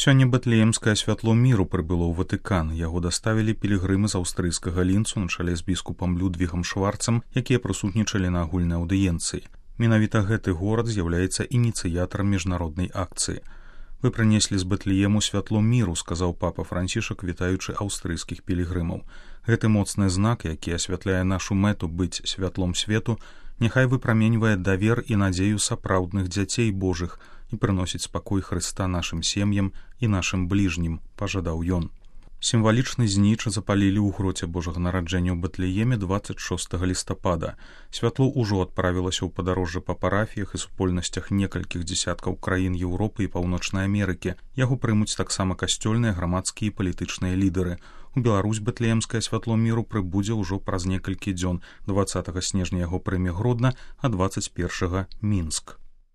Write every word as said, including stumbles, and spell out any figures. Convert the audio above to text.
Сёння бэтлеемскае святло міру прыбыло ў Ватыкан. Яго даставілі пілігрымы з аўстрыйскага лінцу на чале з біскупам Людвігам Шварцам, якія прысутнічалі на агульнай аўдыенцыі. Менавіта гэты горад з'яўляецца ініцыятарам міжнароднай акцыі. «Вы прынеслі з Бэтлеему святло міру», — сказаў папа Францішак, вітаючы аўстрыйскіх пілігрымаў. Гэты моцны знак, які асвятляе нашу мэту быць святлом свету, няхай выпраменьвае давер і надзею сапраўдных дзяцей Божых і прыносіць спакой Хрыста нашым сем'ям і нашым бліжнім, пажадаў ён. Сімвалічны зніча запалілі ў гроце Божага нараджэння ў Бэтлееме дваццаць шостага лістапада. Святло ўжо адправілася ў падарожжа па парафіях і супольнасцях некалькіх дзесяткаў краін Еўропы і Паўночнай Амерыкі. Яго прымуць таксама касцёльныя, грамадскія і палітычныя лідары. У Беларусь бэтлеемскае святло міру прыбудзе ўжо праз некалькі дзён. дваццатага снежня яго прыме Гродна, а дваццаць першага Мінск.